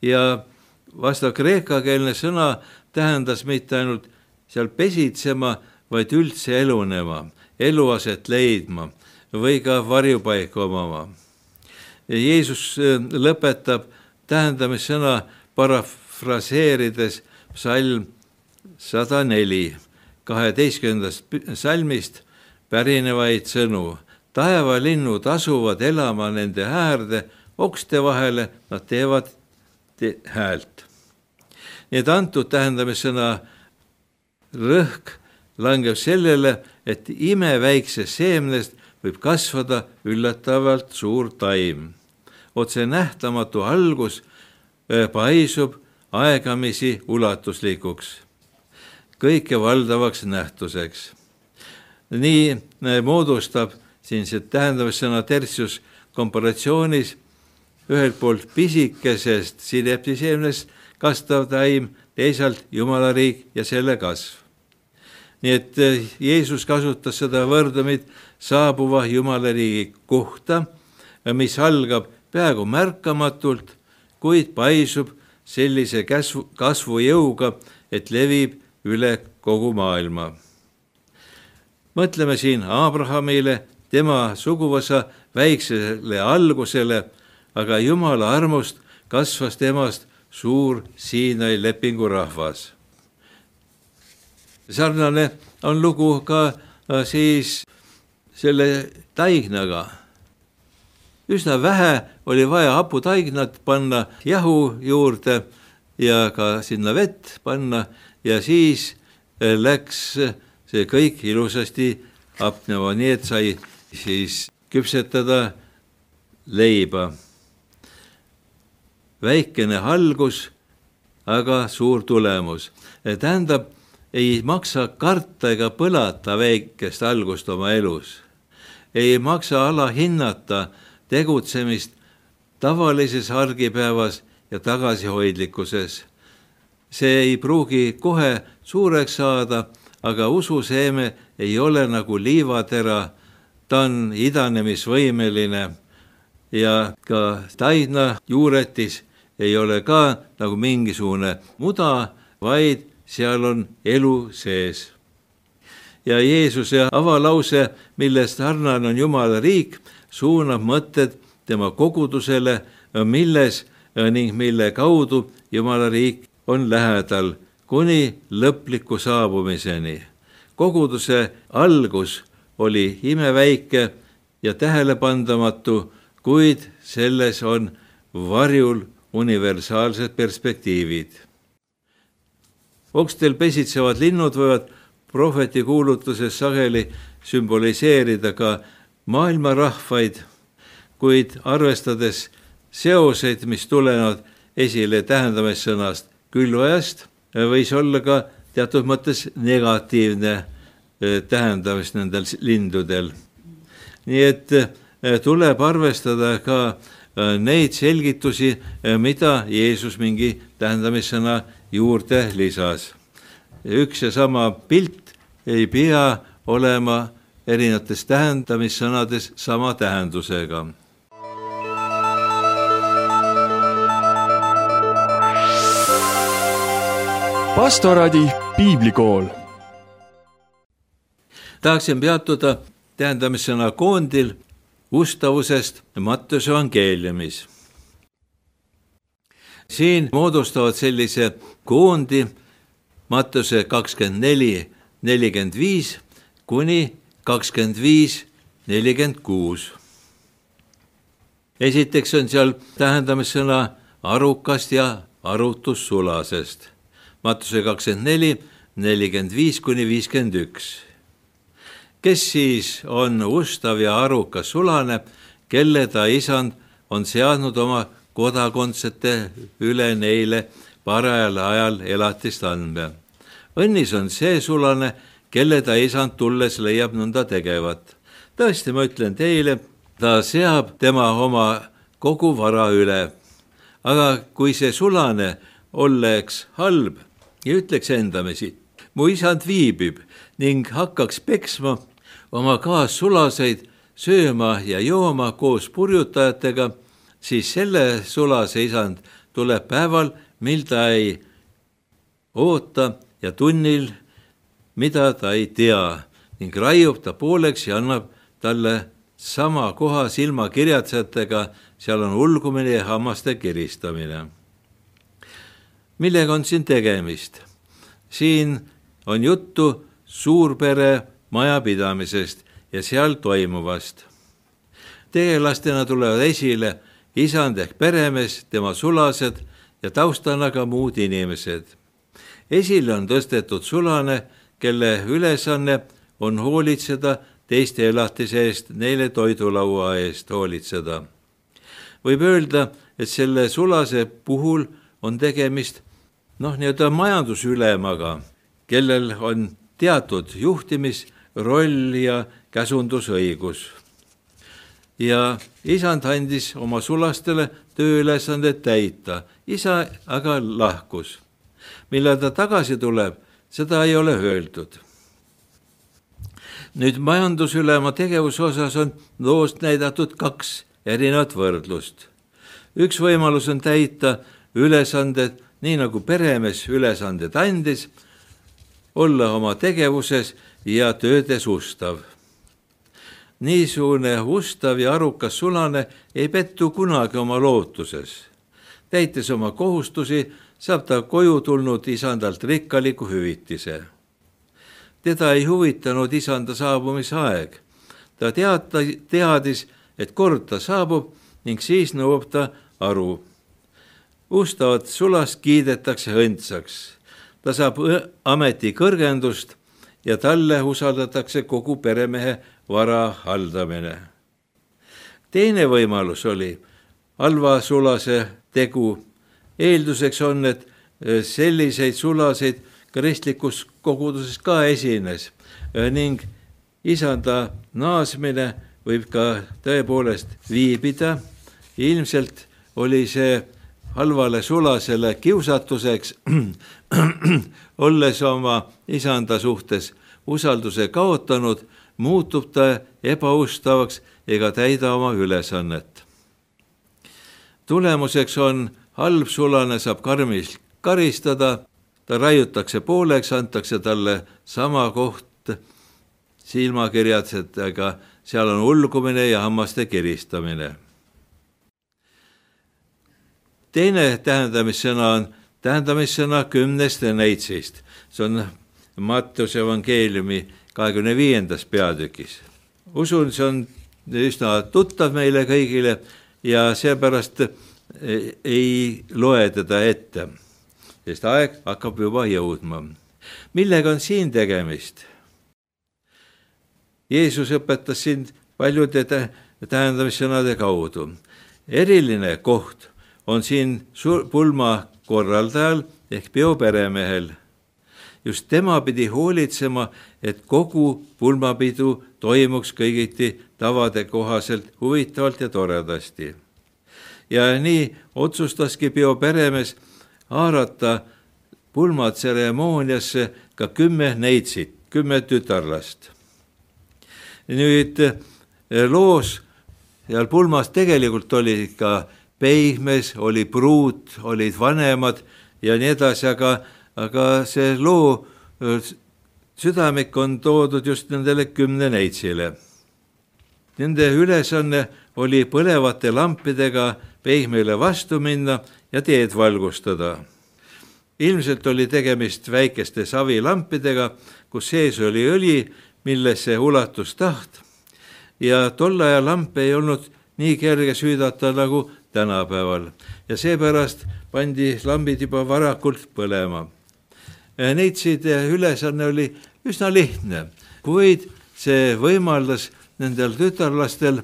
ja vastav kreekakeelne sõna tähendas mitte ainult seal pesitsema, vaid üldse elunema, eluaset leidma või ka varjupaika omama. Jeesus lõpetab tähendamissõna parafraseerides psalm 104, 12. salmist pärinevaid sõnu. Taevalinnud asuvad elama nende äärde, okste vahele nad teevad häält. Nii et antud tähendamissõna rõhk langeb sellele, et imeväiksest seemnest võib kasvada üllatavalt suur taim. Otse nähtamatu algus paisub aegamisi ulatuslikuks, kõike valdavaks nähtuseks. Nii moodustab siin see tähendamissõna tertius komparatsioonis ühelt poolt pisikesest sineptiseemnest kasvav taim, teisalt Jumala riik ja selle kasv. Nii et Jeesus kasutas seda võrdumit saabuva Jumala riigi kohta, mis algab peaaegu märkamatult, kuid paisub sellise kasvujõuga, et levib üle kogu maailma. Mõtleme siin Abrahamile, tema suguvõsa väiksele algusele, aga Jumala armust kasvas temast suur Siinai lepingu rahvas. sarnane on lugu ka siis selle taignaga. Üsna vähe oli vaja haputaignat panna jahu juurde ja ka sinna vett panna ja siis läks see kõik ilusasti hapnema, nii et sai siis küpsetada leiba. Väikene algus, aga suur tulemus. Tähendab, ei maksa karta ega põlata väikest algust oma elus. Ei maksa alahinnata tegutsemist tavalises argipäevas ja tagasihoidlikkuses. See ei pruugi kohe suureks saada, aga ususeeme ei ole nagu liivatera, ta on idanemisvõimeline ja ka taigna juuretis ei ole ka nagu mingisugune muda, vaid seal on elu sees. Ja Jeesuse avalause, millest sarnane on Jumala riik, suunab mõtted tema kogudusele, milles ning mille kaudu Jumala riik on lähedal kuni lõpliku saabumiseni. Koguduse algus oli imeväike ja tähelepandamatu, kuid selles on varjul universaalsed perspektiivid. Okstel pesitsevad linnud võivad prohveti kuulutuses sageli sümboliseerida ka maailma rahvaid, kuid arvestades seoseid, mis tulevad esile tähendamissõnast külvajast, võis olla ka teatud mõttes negatiivne tähendamist nendel lindudel. Nii et tuleb arvestada ka neid selgitusi, mida Jeesus mingi tähendamissõna juurde lisas. Üks ja sama pilt ei pea olema erinevates tähendamissõnades sama tähendusega. Pastoraadi piiblikool. Tahaksin peatuda tähendamissõna koondil ustavusest Mattuse evangeeliumis. Siin moodustavad sellise koondi Mattuse 24:45 kuni 25:46. Esiteks on seal tähendamissõna arukast ja arutussulasest. Mattuse 24:45 kuni 51. Kes siis on ustav ja arukas sulane, kelle ta isand on seadnud oma kodakondsete üle neile parajal ajal elatist andma. Õnnis on see sulane, kelle ta isand tulles leiab nõnda tegevat. Tõesti, ma ütlen teile, ta seab tema oma kogu vara üle. Aga kui see sulane oleks halb ja ütleks endamisi, mu isand viibib ning hakkaks peksma oma kaassulaseid sööma ja jooma koos purjutajatega, siis selle sulase isand tuleb päeval, mil ta ei oota ja tunnil, mida ta ei tea, ning raiub ta pooleks ja annab talle sama koha silmakirjatsejatega, seal on ulgumine ja hammaste kiristamine. Millega on siin tegemist? Siin on juttu suurpere majapidamisest ja seal toimuvast. Tegelastena tulevad esile isand ehk peremees, tema sulased ja taustana ka muud inimesed. Esile on tõstetud sulane, kelle ülesanne on hoolitseda teiste elatise eest, neile toidulaua eest hoolitseda. Võib öelda, et selle sulase puhul on tegemist nii-öelda majandusülemaga, kellel on teatud juhtimisroll ja käsundusõigus. Ja isand andis oma sulastele tööülesanded täita, isa aga lahkus. Millal ta tagasi tuleb, seda ei ole öeldud. Nüüd majandusülema tegevuse osas on loost näidatud 2 erinevat võrdlust. Üks võimalus on täita ülesanded, nii nagu peremees ülesanded andis, olla oma tegevuses ja töödes ustav. Niisugune ustav ja arukas sulane ei pettu kunagi oma lootuses. Täites oma kohustusi, saab ta koju tulnud isandalt rikkaliku hüvitise. teda ei huvitanud isanda saabumise aeg. Ta teadis, et kord ta saabub ning siis nõuab ta aru. Ustavat sulast kiidetakse õndsaks. Ta saab ameti kõrgendust ja talle usaldatakse kogu peremehe vara haldamine. Teine võimalus oli halva sulase tegu. Eelduseks on, et selliseid sulaseid kristlikus koguduses ka esines ning isanda naasmine võib ka tõepoolest viibida. Ilmselt oli see halvale sulasele kiusatuseks, olles oma isanda suhtes usalduse kaotanud, muutub ta ebaustavaks ega täida oma ülesannet. Tulemuseks on halb sulane saab karmilt karistada, ta raiutakse pooleks, antakse talle sama koht silmakirjadega, seal on ulgumine ja hammaste kiristamine. Teine tähendamissõna on tähendamissõna 10 neitsist. See on Matteuse evangeeliumi 25. peatükis. Usun, see on üsna tuttav meile kõigile ja seepärast ei loe teda ette, sest aeg hakkab juba jõudma. Millega on siin tegemist? Jeesus õpetas siin paljude tähendamissõnade kaudu. Eriline koht on siin pulma korraldajal ehk peoperemehel. Just tema pidi hoolitsema, et kogu pulmapidu toimuks kõigiti tavade kohaselt huvitavalt ja toredasti. Ja nii otsustaski peoperemees haarata pulmatseremooniasse ka 10 neitsit, 10 tütarlast. Nüüd loos seal pulmas tegelikult oli ka peihmes, oli pruut, olid vanemad ja nii edasi, aga see loo südamik on toodud just nendele 10 neitsile. Nende ülesanne oli põlevate lampidega peihmele vastu minna ja teed valgustada. Ilmselt oli tegemist väikeste savilampidega, kus sees oli õli, millesse ulatus taht ja tolle aja lampe ei olnud nii kerge süüdata nagu tänapäeval ja seepärast pandi lambid juba varakult põlema. Neitside ülesanne oli üsna lihtne, kuid see võimaldas nendel tütarlastel,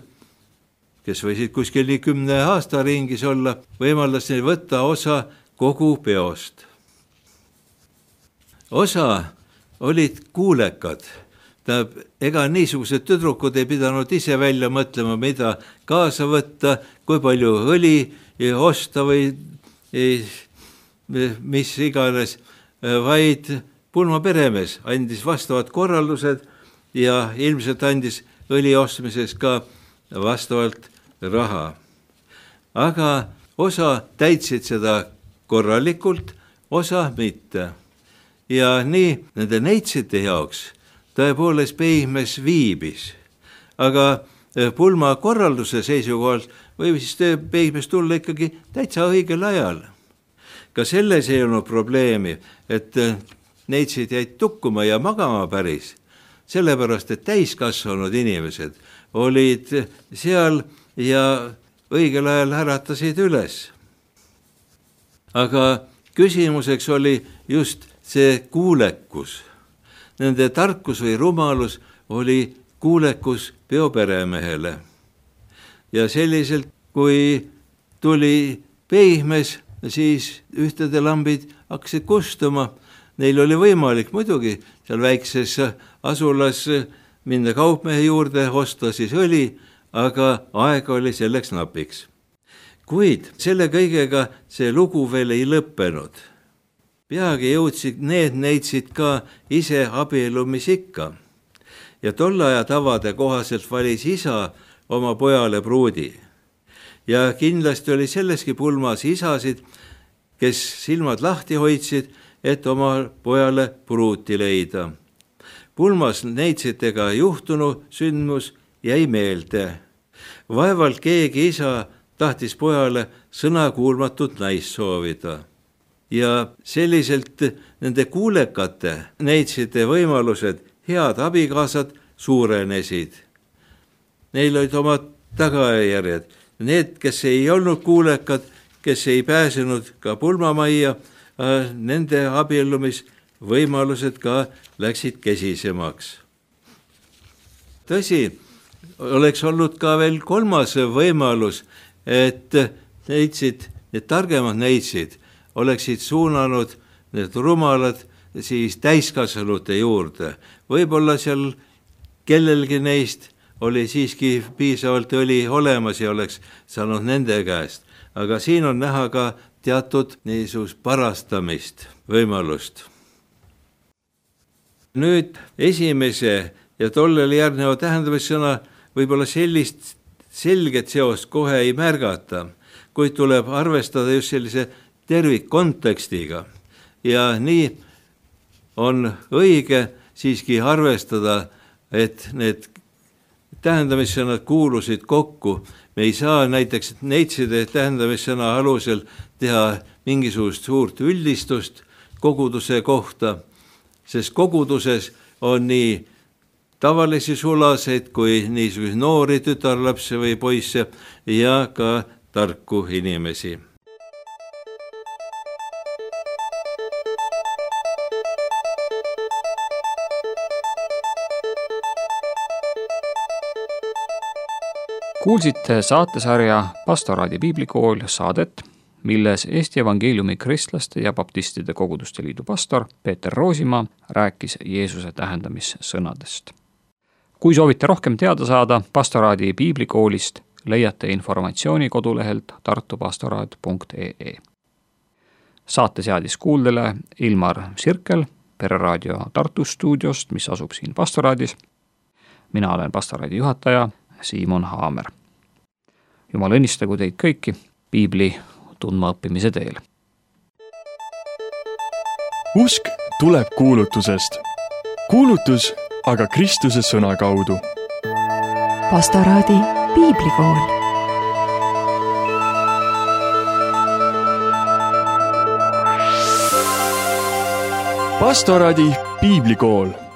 kes võisid kuskil 10 aasta ringis olla, võimaldas neil võtta osa kogu peost. Osa olid kuulekad. Ega niisugused tüdrukud ei pidanud ise välja mõtlema, mida kaasa võtta, kui palju õli osta või mis iganes, vaid pulmaperemees andis vastavad korraldused ja ilmselt andis õli ostmises ka vastavalt raha. Aga osa täitsid seda korralikult, osa mitte. Ja nii nende neitsite jaoks tõepoolest peihmes viibis, aga pulma korralduse seisukohalt võib siis peihmes tulla ikkagi täitsa õigel ajal. Ka selles ei olnud probleemi, et neitsid jäid tukkuma ja magama päris, sellepärast, et täiskasvanud inimesed olid seal ja õigel ajal äratasid üles. Aga küsimuseks oli just see kuulekus. Nende tarkus või rumalus oli kuulekus peoperemehele. Ja selliselt, kui tuli peihmes, siis ühtede lambid hakkasid kustuma. Neil oli võimalik muidugi seal väikses asulas minna kaupmehe juurde, osta siis õli, aga aeg oli selleks napiks. Kuid selle kõigega see lugu veel ei lõppenud. Peagi jõudsid need neitsid ka ise abiellumisikka ja tolle aja tavade kohaselt valis isa oma pojale pruudi. Ja kindlasti oli selleski pulmas isasid, kes silmad lahti hoidsid, et oma pojale pruuti leida. Pulmas neitsitega juhtunu sündmus jäi meelde. Vaevalt keegi isa tahtis pojale sõnakuulmatut naist soovida. ja selliselt nende kuulekate neitside võimalused, head abikaasad suurenesid. Neil olid omad tagajärjed. Need, kes ei olnud kuulekad, kes ei pääsenud ka pulmamajja, nende abiellumisvõimalused ka läksid kesisemaks. Tõsi, oleks olnud ka veel kolmas võimalus, et neitsid, need targemad neitsid oleksid suunanud need rumalad siis täiskasvanute juurde. Võib-olla seal kellelgi neist oli siiski piisavalt õli olemas ja oleks saanud nende käest. Aga siin on näha ka teatud niisugust parastamist võimalust. Nüüd esimese ja tollele järgneva tähendamissõna võib-olla sellist selget seost kohe ei märgata, kuid tuleb arvestada just sellise tervikkontekstiga. Ja nii on õige siiski arvestada, et need tähendamissõnad kuulusid kokku. Me ei saa näiteks neitside tähendamissõna alusel teha mingisugust suurt üldistust koguduse kohta, sest koguduses on nii tavalisi sulaseid kui niisuguseid noori tütarlapse või poisse ja ka tarku inimesi. Kuulsite saatesarja Pastoraadi piiblikool saadet, milles Eesti Evangeeliumi Kristlaste ja Baptistide Koguduste Liidu pastor Peeter Roosimaa rääkis Jeesuse tähendamissõnadest. Kui soovite rohkem teada saada Pastoraadi piiblikoolist, leiate informatsiooni kodulehelt tartupastoraat.ee. Saate seadis kuuldele Ilmar Sirkel Pereraadio Tartu stuudiost, mis asub siin Pastoraadis. Mina olen Pastoraadi juhataja Siimon Haamer. Jumal õnnistagu teid kõiki piibli tundma õppimise teel. Usk tuleb kuulutusest. Kuulutus aga Kristuse sõna kaudu. Pastoraadi piiblikool. Pastoraadi piiblikool.